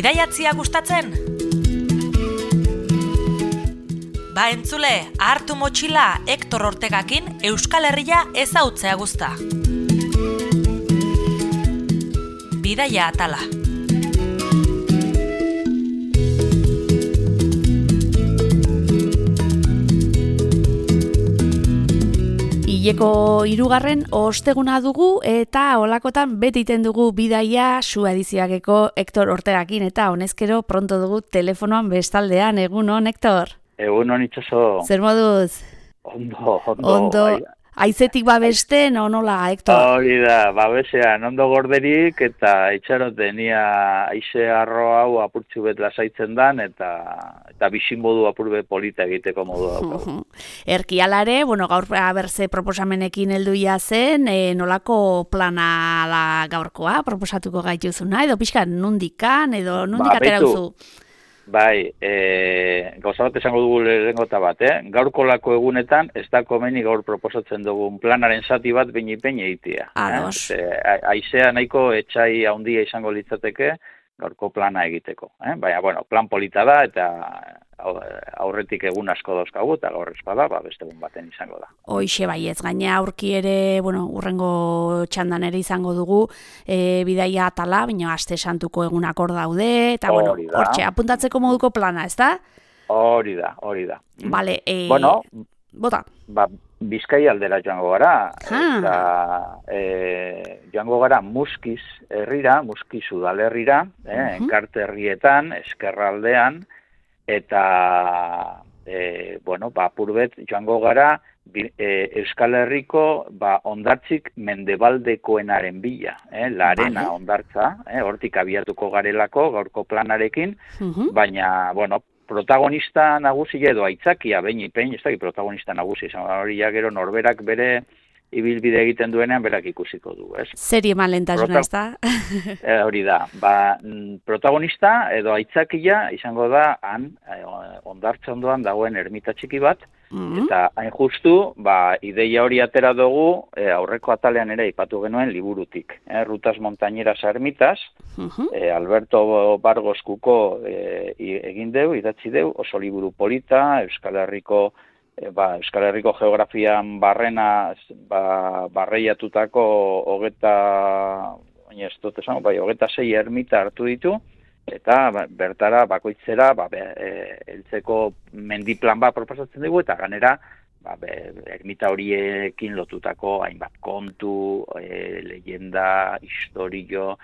Bidaiatzia gustatzen? Ba entzule, hartu motxila Hektor Ortegakin Euskal Herria ezautzea guzta. Bidaia atala. Hileko 3. osteguna dugu eta holakotan beti iten dugu bidaia Su edizioakeko Hektor Ortegakin eta honezkero pronto dugu telefonoan bestaldean. Egunon, Hektor? Egunon itxaso. Zer moduz? Ondo. Aizetik babesten o nola, Hektor? Hori da, babesean, ondo gorderik eta itxaroten ia aize arro hau apurtxu bet lasaitzen dan eta bizimodu apurbe polita egiteko modu daukagu. Erkialare, gaur berze proposamenekin helduia zen, nolako plana da gaurkoa proposatuko gaituzuna, edo pixka nundikan, edo nundik atera duzu? Bai, gauza bat esango dugu lehenengota bat, gaurko lako egunetan ez da komeni gaur proposatzen dugun planaren zati bat behin egitea. Ados. Aizea nahiko etxai handia izango litzateke gaurko plana egiteko. Baina, plan polita da eta aurretik egun asko dauzkagu eta gaur espada, beste egun baten izango da. Hoixe baiez, gaina aurki ere, urrengo txandan ere izango dugu bidaia atala, baina aste santuko egunak hor daude, eta hortxe, apuntatzeko moduko plana, ez da? Hori da. Bale, bota. Bizkai aldera joango gara, eta joango gara Muskiz herrira, Muskiz udalerrira, Enkarte herrietan, Ezkerraldean, eta apurbet joango gara Euskal Herriko hondartzik mendebaldekoenaren bila, Larena hondartza, hortik abiatuko garelako gaurko planarekin, baina, protagonista nagusia edo aitzakia, behin, ez da, protagonista nagusia, hori gero norberak bere ibilbide egiten duenean berak ikusiko du, ez? Zeri eman lehentasuna, ez da? Hori da, protagonista edo aitzakia izango da hondartza ondoan dagoen ermita txiki bat, eta hain justu, ideia hori atera dugu, aurreko atalean ere aipatu genuen liburutik, Rutas Montañeras a Ermitas, Alberto Bargos Kuko egin deu, idatzi deu, oso liburu polita, Euskal Herriko geografian barrena barreiatutako 26 ermita hartu ditu, eta bertara bakoitzera heltzeko mendiplan bat proposatzen dugu, eta ganera ermita horiekin lotutako hainbat kontu, leyenda, historio,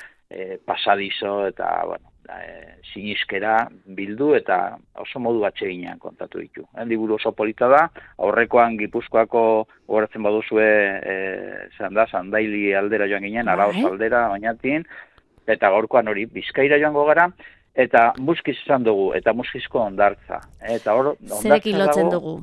pasadizo, eta sinizkera bildu eta oso modu atseginean kontatu ditu. Liburu oso polita da, aurrekoan Gipuzkoako gogoratzen baduzue Zandaili aldera joan ginen, Araoz aldera, Oñatin, eta gaurkoan hori Bizkaira joango gara, eta Muskiz izan dugu, eta Muskizko hondartza. Zerekin lotzen dugu?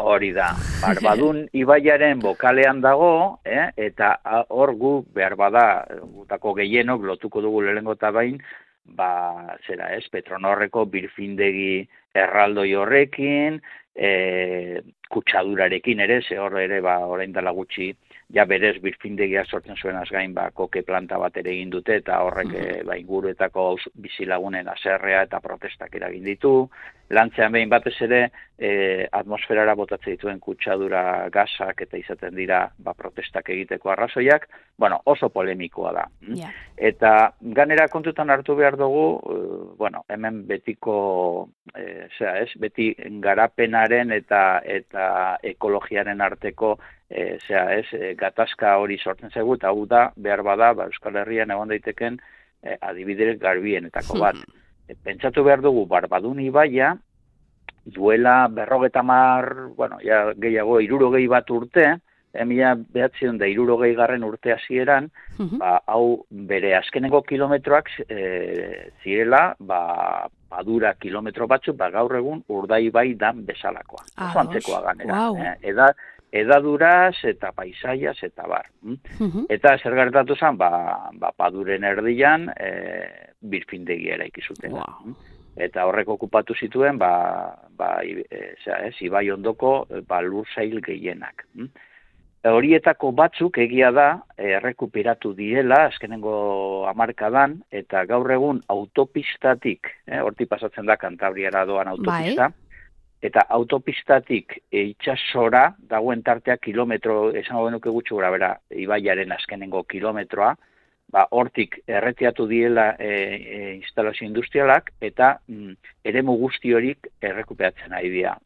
Hori da, Barbadun ibaiaren bokalean dago, eta hor gu behar bada, gutako gehienok lotuko dugu lehenengo eta bain, Petronorreko birfindegi erraldoi horrekin, kutsadurarekin ere, ze hor ere orain dela gutxi, berez birfindegia sortzen zuenaz gain, koke planta bat ere egin dute, eta horrek inguruetako bizilagunen haserrea eta protestak eragin ditu. Lantzean behin batez ere, atmosferara botatzen dituen kutsadura gasak eta izaten dira protestak egiteko arrazoiak, oso polemikoa da. Eta ganera kontutan hartu behar dugu, hemen betiko, beti garapenaren eta ekologiaren arteko gatazka hori sortzen zaigu, eta hau da, behar bada, Euskal Herrian egon daiteken adibidez garbienetako bat. Pentsatu behar dugu, Barbadun ibaia, duela 50, gehiago 60 bat urte, 1960 urte hasieran, hau bere azkeneko kilometroak zirela, badura kilometro batzuk, gaur egun Urdaibai dan bezalakoa. Oso antzekoa ganera. Edaduraz eta paisaiaz eta bar. Eta zer gertatu zen, paduren erdian birfindegia eraiki zuten. Eta horrek okupatu zituen, ibai ondoko lur sail gehienak. horietako batzuk egia da errekuperatu direla azkenengo hamarkadan, eta gaur egun autopistatik, hortik pasatzen da Kantabriara doan autopista, eta autopistatik itsasora dagoen tartea kilometro, esango genuke gutxi gora bera, ibaiaren azkenengo kilometroa, hortik erretiatu diela instalazio industrialak, eta eremu guzti horik errekuperatzen ari dira.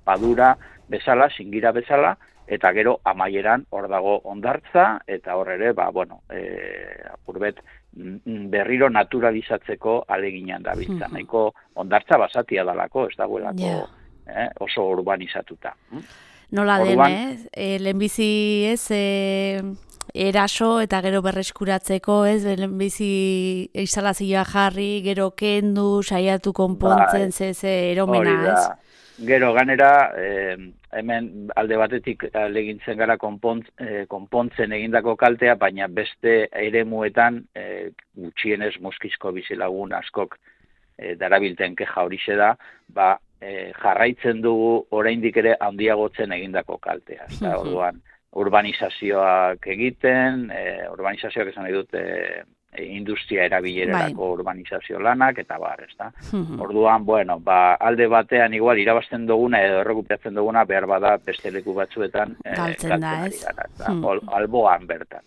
Padura bezala, Singira bezala, eta gero amaieran hor dago Hondartza, eta hor ere, apurbet, berriro naturalizatzeko aleginan dabiltza. Nahiko Hondartza basatia dalako, ez dagoelako oso urbanizatuta. Nola den, lehenbizi ez, eraso eta gero berreskuratzeko, ez, lehenbizi instalazioa jarri, gero kendu, saiatu konpontzen, eromena, ez? Gero, ganera, hemen alde batetik alegintzen gara konpontzen egindako kaltea, baina beste eremuetan gutxienez muskizko bizilagun askok darabilten keja horixe da, jarraitzen dugu oraindik ere handiagotzen egindako kaltea. Orduan, urbanizazioak egiten, urbanizazioak esan nahi dute industria erabilererako urbanizazio lanak, eta bar, ez da. Orduan, alde batean igual irabazten duguna edo errekuperatzen duguna behar bada beste leku batzuetan galtzen da, ez? Alboan bertan.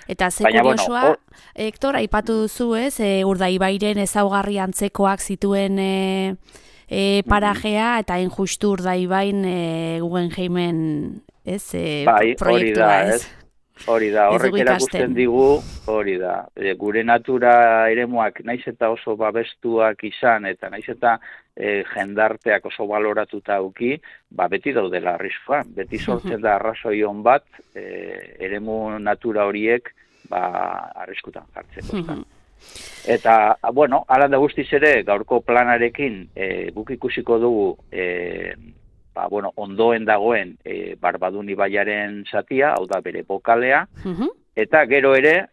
Eta ze kuriosoa, Hektor, aipatu duzu, ez, Urdaibairen ezaugarri antzekoak zituen parajea, eta justu Urdaibain Guggenheimen, ez, proiektua, ez? Hori da, horrek erakusten digu, hori da, gure natura eremuak naiz eta oso babestuak izan, eta naiz eta jendarteak oso baloratuta auki, beti daudela arriskuan, beti sortzen da arrazoion bat, eremu natura horiek arriskutan jartzeko. Eta, hala da guztiz ere, gaurko planarekin guk ikusiko dugu, ondoen dagoen Barbadun ibaiaren zatia, hau da bere bokalea, eta gero ere,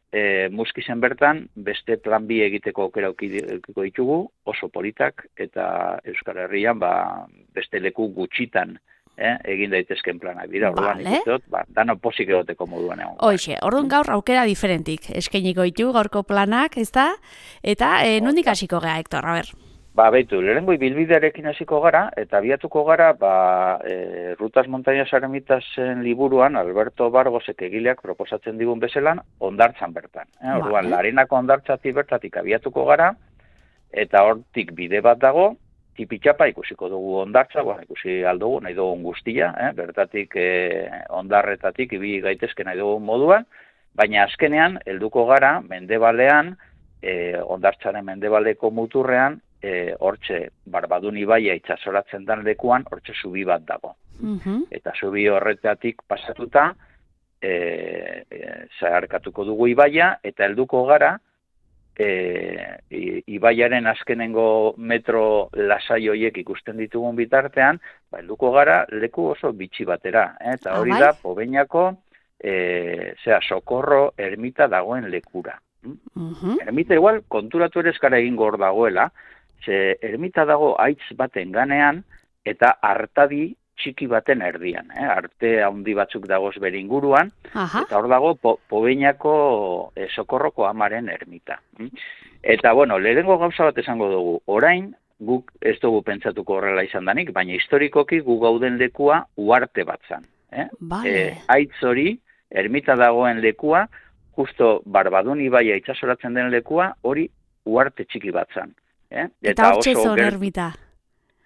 Muskizen bertan, beste plan bi egiteko aukera edukiko ditugu, oso politak, eta Euskal Herrian beste leku gutxitan egin daitezken planak dira, orduan ikusteot, dano posik egoteko moduan egon. Hoxe, orduan gaur aukera diferentik eskainiko ditu gaurko planak, ez da? Eta nondik hasiko gea, Hektor, a ber? Beitu, lehenengo ibilbidearekin hasiko gara, eta biatuko gara, Rutas Montañas Eremitasen liburuan, Alberto Bargosek egileak proposatzen digun bezelan, Hondartzan bertan. Orduan, Larenako Hondartzatik bertatik abiatuko gara, eta hortik bide bat dago, tipitxapa ikusiko dugu Hondartza, ikusi aldugu, nahi dugun guztia, bertatik Hondarretatik ibili gaitezke nahi dugun moduan, baina azkenean, helduko gara, mendebalean, Hondartzaren mendebaleko muturrean, hortxe Barbadun ibaia itsasoratzen den lekuan, hortxe zubi bat dago. Eta zubi horretatik pasatuta, zeharkatuko dugu ibaia, eta helduko gara, ibaiaren azkenengo metro lasai horiek ikusten ditugun bitartean, helduko gara leku oso bitxi batera. Eta hori da, Pobeñako, Sokorro ermita dagoen lekura. Ermita igual, konturatu ere eskara egin gor dagoela, ze ermita dago haitz baten ganean, eta artadi txiki baten erdian. Arte handi batzuk dagoz bere inguruan, eta hor dago Pobeñako Sokorroko amaren ermita. Eta, lehenengo gauza bat esango dugu, orain, guk ez dugu pentsatuko horrela izan danik, baina historikoki gu gauden lekua uarte bat zan. Haitz hori, ermita dagoen lekua, justo Barbadun ibaia itsasoratzen den lekua, hori uarte txiki bat zan. Eta hortxe zon ermita.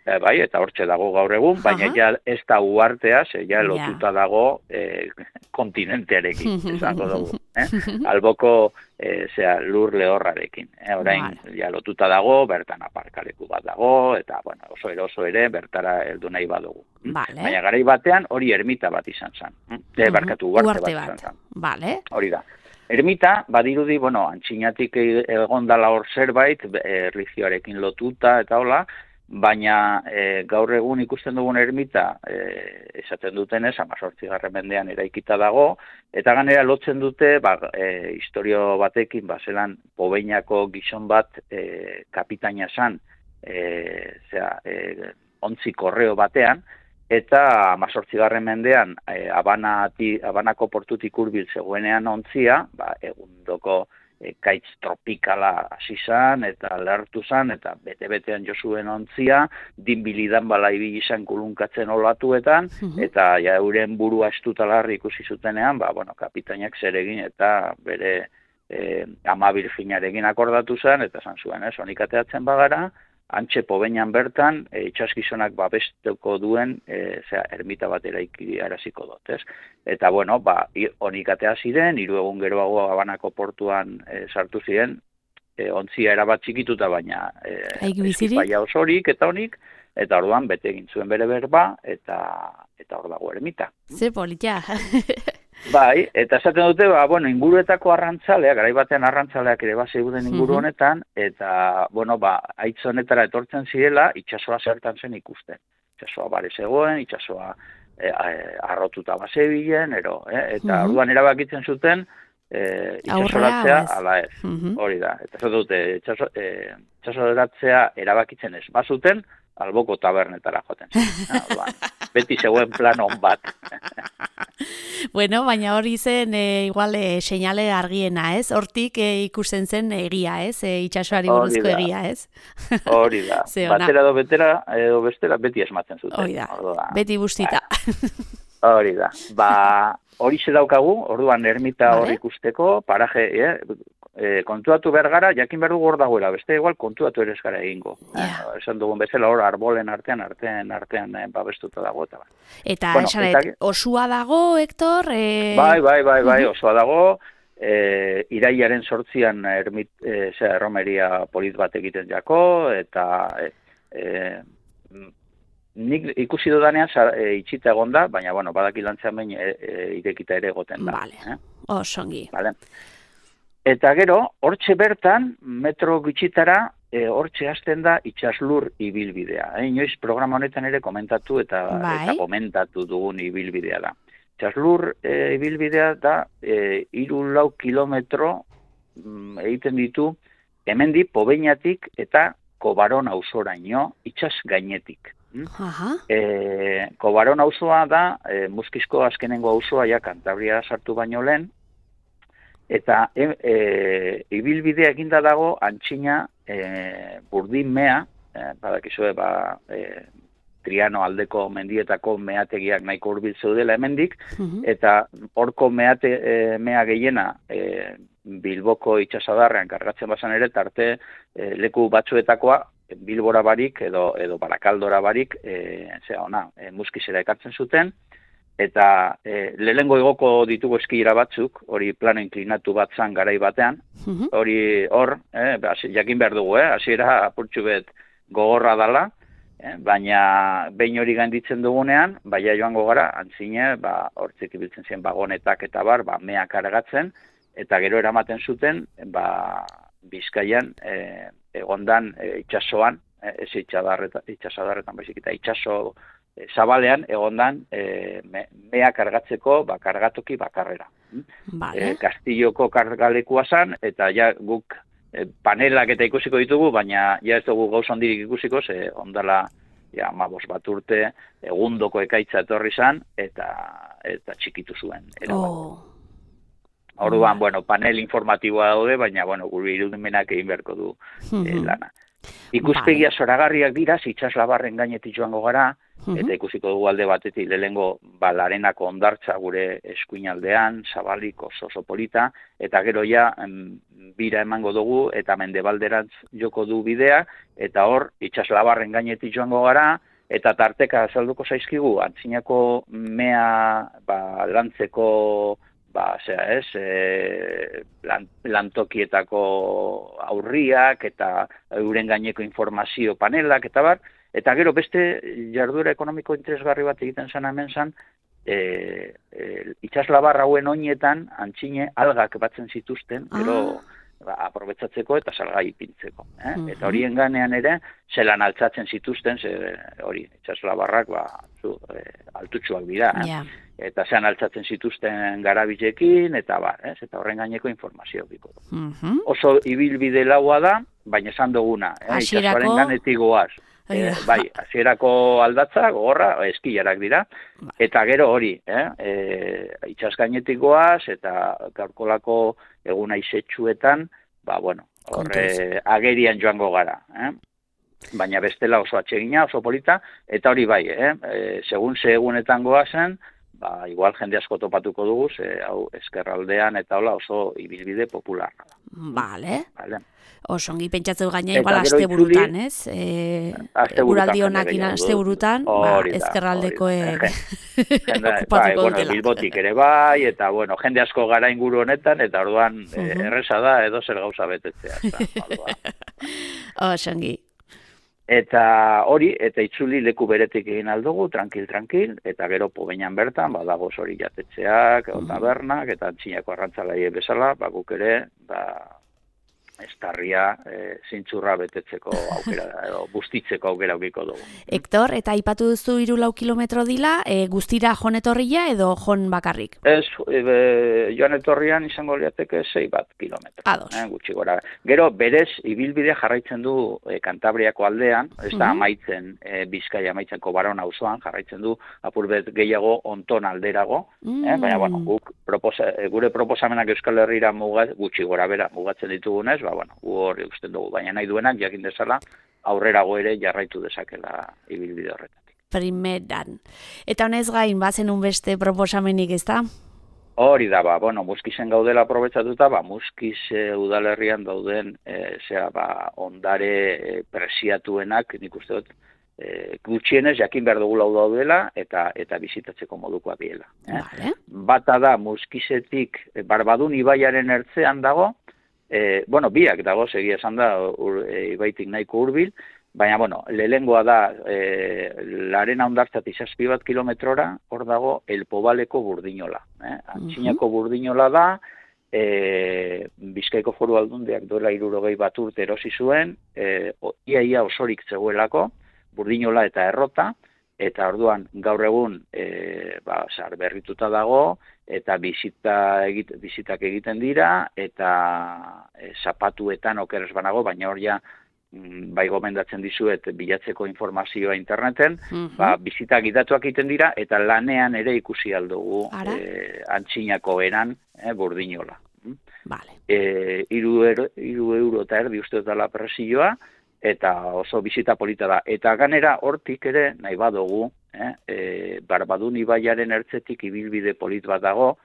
Bai, eta hortxe dago gaur egun, baina ja ez da uartea, ja lotuta dago kontinentearekin, esango dugu. Alboko lur lehorrarekin. Orain, ja lotuta dago, bertan aparkaleku bat dago, eta oso ere, bertara heldu nahi badugu. Baina garai batean hori ermita bat izan zen. Barkatu, uarte bat izan zen. Hori da. Ermita, badirudi, antxinatik egondala hor zerbait, erlijioarekin lotuta eta hola, baina gaur egun ikusten dugun ermita, esaten dutenez, 18. mendean eraikita dago, eta ganera lotzen dute, historio batekin, zelan Pobeñako gizon bat kapitaina zan, ontzi korreo batean, eta 18. mendean Habanako portutik hurbil zegoenean ontzia, egundoko kaitz tropikala hasi zan, eta lehartu zan, eta bete-betean josuen ontzia, dinbilidan bala ibili izan kulunkatzen olatuetan, eta euren burua estutalarri ikusi zutenean, kapitainak zer egin, eta bere ama Virginarekin akordatu zen, eta zan zuen, honik ateatzen bagara, antxe Pobeinan bertan, itxasgizonak babestuko duen, ermita bat araziko dut, ez? Eta, honik atea ziren, 3 egun geroago Habanako portuan sartu ziren, ontzia erabat txikituta, baina eskipaia osorik eta honik, eta orduan bete egin zuen bere berba, eta hor dago ermita. Ze politia. Bai, eta esaten dute, inguruetako arrantzaleak, garai batean arrantzaleak ere zeuden inguru honetan, eta, haitz honetara etortzen zirela, itsasoa zertan zen ikusten. Itsasoa bare zegoen, itsasoa arrotuta bazebilen, eta orduan erabakitzen zuten, itsasoratzea ala ez. Hori da, eta esaten dute, itsasoratzea erabakitzen ez bazuten, alboko tabernetara joten zen. Beti zegoen plan on bat. Bueno, baina hori zen igual seinale argiena, ez? Hortik ikusten zen egia, ez? Itsasoari buruzko egia, ez? Hori da. Batera edo bestera beti esmatzen zuten. Hori da. Beti bustita. Hori da. Hori ze daukagu, orduan ermita hor ikusteko, paraje, kontuatu behar gara, jakin behar dugu hor dagoela, beste igual kontuatu ere ez gara egingo. Esan dugun bezala hor arbolen artean babestuta dago. Eta esanet, osua dago, Hector? Bai, osua dago. Irailaren 8an erromeria polit bat egiten jako, eta nik ikusi dudanean itxita egon da, baina badaki lantzean behin irekita ere egoten da. Vale, osongi. Vale. Eta gero, hortxe bertan, metro gutxitara, hortxe hasten da itxaslur ibilbidea. Inoiz programa honetan ere komentatu eta komentatu dugun ibilbidea da. Itxaslur ibilbidea da 3-4 kilometro egiten ditu hemendik Pobeinatik eta Kobaron auzoraino itxas gainetik. Kobaron auzoa da Muskizko azkenengo auzoa Kantabria sartu baino lehen, eta ibilbidea eginda dago antxina burdin mea, badakizue Triano aldeko mendietako meategiak nahiko hurbil zeudela hemendik, eta horko mea gehiena Bilboko itxasadarrean kargatzen bazan ere, tarte leku batzuetakoa Bilbora barik edo Barakaldora barik Muskizera ekartzen zuten, eta lehengo igoko ditugu eskira batzuk, hori plano inklinatu bat zan garai batean, hori hor, jakin behar dugu, hasiera apurtxu bet gogorra dala, baina behin hori gainditzen dugunean, baia joango gara, antzine, hortzik ibiltzen ziren bagonetak eta mea kargatzen, eta gero eramaten zuten, Bizkaian, egondan itxasoan, ez itxasadarretan baizik, eta itxaso zabalean egondan mea kargatzeko kargatoki bakarrera. Kastilloko kargalekua zan, eta guk panelak eta ikusiko ditugu, baina ez dugu gauz handirik ikusiko, ondala 15 bat urte egundoko ekaitza etorri zan, eta txikitu zuen. Orduan, panel informatiboa daude, baina, gure irudimenak egin beharko du lana. Ikuspegia zoragarriak dira, itxaslabarren gainetik joango gara, eta ikusiko dugu alde batetik lehengo Larenako hondartza gure eskuinaldean, zabalik oso polita, eta gero bira emango dugu, eta mendebalderantz joko du bidea, eta hor, itxaslabarren gainetik joango gara, eta tarteka azalduko zaizkigu, antzinako mea lantzeko lantokietako aurriak eta euren gaineko informazio panelak eta eta gero beste jarduera ekonomiko interesgarri bat egiten zan hemen zan, itxaslabar hauen oinetan antzine algak batzen zituzten, gero aprobetzatzeko eta salgai ipintzeko. Eta horien ganean ere, zelan altzatzen zituzten, hori, itxaslabarrak altutsuak dira. Eta zean altzatzen zituzten garabilekin, eta eta horren gaineko informazio biko. Oso ibilbide laua da, baina esan duguna, itxasoaren ganetik goaz. Bai, hasierako aldatza, gogorra, eskilarak dira, eta gero hori, itxas gainetik goaz, eta gaurkolako eguna izetsuetan, horre agerian joango gara, baina bestela oso atsegina, oso polita, eta hori bai, segun ze egunetan goazen, igual jende asko topatuko dugu, hau eskerraldean eta hola oso ibilbide popularra da. Vale. Oso ongi pentsatzeu gaina igual asteburutan, ez? Eguraldi honakin asteburutan, ezkerraldekoek okupatuko dutela. Bilbotik ere bai, eta jende asko gara inguru honetan, eta orduan erresa da edo zer gauza betetzea. Oso ongi. Eta hori, eta itzuli leku beretik egin aldugu, tranquil, eta gero pobeinan bertan, badago hori jatetxeak, tabernak, eta antxinako arrantzalaie bezala, guk ere, estarria zintzurra betetzeko aukera, edo bustitzeko aukera aukiko dugu. Hector, eta aipatu duzu 3-4 kilometro dila, guztira joan etorria edo joan bakarrik? Ez, joan etorrian izango liateke 6 kilometro. Gutxi gora. Gero, berez, ibilbidea jarraitzen du Kantabriako aldean, ez da amaitzen, Bizkaia amaitzen Kobaron auzoan, jarraitzen du apurbet gehiago onton alderago, baina, guk gure proposamenak Euskal Herrira gutxi gora bera mugatzen ditugunez, hori usten dugu, baina nahi duenak jakin dezala aurrerago ere jarraitu dezakela ibilbide horretatik. Primeran. Eta honez gain, bazen beste proposamenik, ez da? Hori da, Muskizen gaudela aprobetsatuta, Muskiz udalerrian dauden ondare presiatuenak, nik uste dut, gutxienez jakin behar dugula daudela eta bizitatzeko modukoa diela. Bata da, Muskizetik Barbadun ibaiaren ertzean dago, biak dago, segia esan da, ibaitik nahiko hurbil, baina, lehengoa da, Larena hondartzatik 7 kilometrora, hor dago, Elpobaleko Burdinola. Antxinako Burdinola da, Bizkaiko Foru Aldundiak duela 60 urte erosi zuen, iaia osorik zegoelako, Burdinola eta Errota, eta orduan gaur egun berrituta dago, eta bizitak egiten dira, eta zapatuetan okeres banago, baina hor ja bai gomendatzen dizuet bilatzeko informazioa interneten, bizitak gidatuak egiten dira, eta lanean ere ikusi aldugu antxinako eran Burdinola. 3 euro eta erdi uste dela presioa, eta oso bizita polita da. Eta ganera hortik ere nahi badugu, Barbadun ibaiaren ertzetik ibilbide polit bat dago,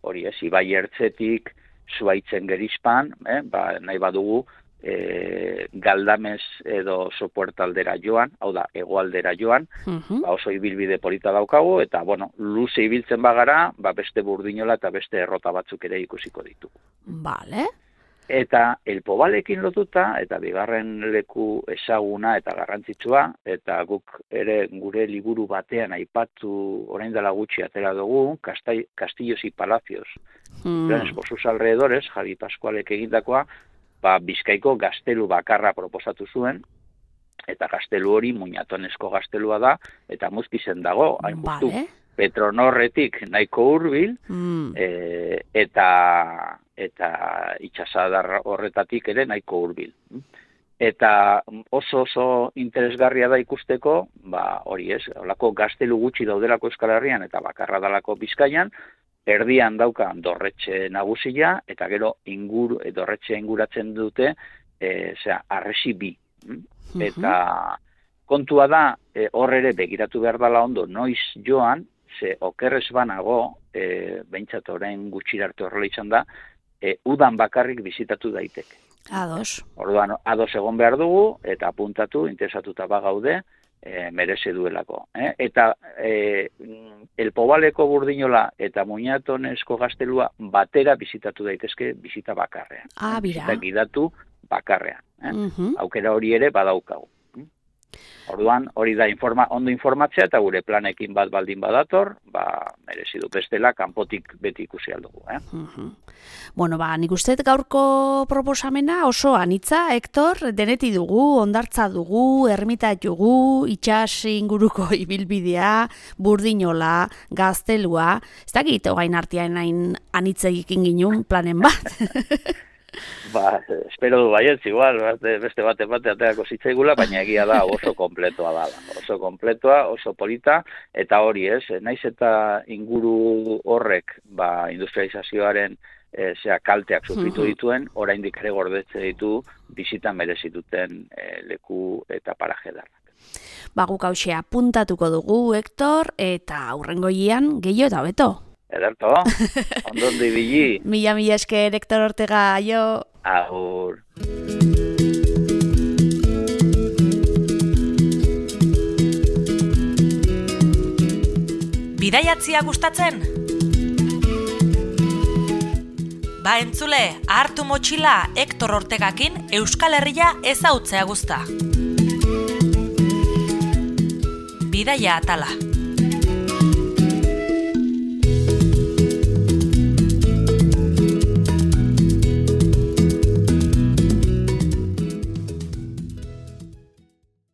hori ez, ibai ertzetik, Zuaitzen gerizpan, nahi badugu, Galdamez edo Sopuerta aldera joan, hau da, hegoaldera joan, oso ibilbide polita daukagu, eta, luze ibiltzen bagara, beste Burdinola eta beste Errota batzuk ere ikusiko ditugu. Vale. Eta Elpobalekin lotuta, eta bigarren leku ezaguna eta garrantzitsua, eta guk ere gure liburu batean aipatu orain dela gutxi atera dugu, Castillos y Palacios, por sus alrededores, Javi Pascualek egindakoa, Bizkaiko gaztelu bakarra proposatu zuen, eta gaztelu hori Muñatonesko gaztelua da, eta Muskizen dago, hain justu, Petronorretik nahiko hurbil, eta itxasadar horretatik ere nahiko hurbil. Eta oso interesgarria da ikusteko, hori ez, holako gaztelu gutxi daudelako Euskal Herrian eta bakarra dalako Bizkaian, erdian dauka dorretxe nagusia, eta gero dorretxe inguratzen dute, arresi bi. Eta kontua da, hor ere begiratu behar dela ondo, noiz joan, ze okerrez banago, behintzat orain gutxirarte horrela izan da, udan bakarrik bizitatu daiteke. Ados. Orduan, ados egon behar dugu, eta apuntatu, interesatuta bagaude, mereze duelako. Eta Elpobaleko Burdinola eta Muñatonesko gaztelua batera bizitatu daitezke bizita bakarrean. Bizita gidatu bakarrean. Aukera hori ere badaukagu. Orduan, hori da ondo informatzea eta gure planekin bat baldin badator, merezi du bestela kanpotik beti ikusi aldugu. Nik uste gaurko proposamena oso anitza, Hector, deneti dugu, hondartza dugu, ermitat dugu, itxas inguruko ibilbidea, Burdinola, gaztelua, ez dakit ogain artean hain anitzegikin ginun planen bat. Espero du baietz, igual, beste bate aterako zitzaigula, baina egia da oso kompletoa dala. Oso kompletoa, oso polita, eta hori ez, naiz eta inguru horrek, industrializazioaren kalteak sufritu dituen, oraindik ere gordetze ditu bizitan merezituten leku eta paraje darrak. Guk hauxe apuntatuko dugu, Hektor, eta hurrengoian gehiago eta beto. Ederto, ondondo ibili. Mila esker, Hektor Ortega, aio. Agur. Bidaiatzia gustatzen? Entzule, hartu motxila Hektor Ortegakin Euskal Herria ezautzea guzta. Bidaia atala.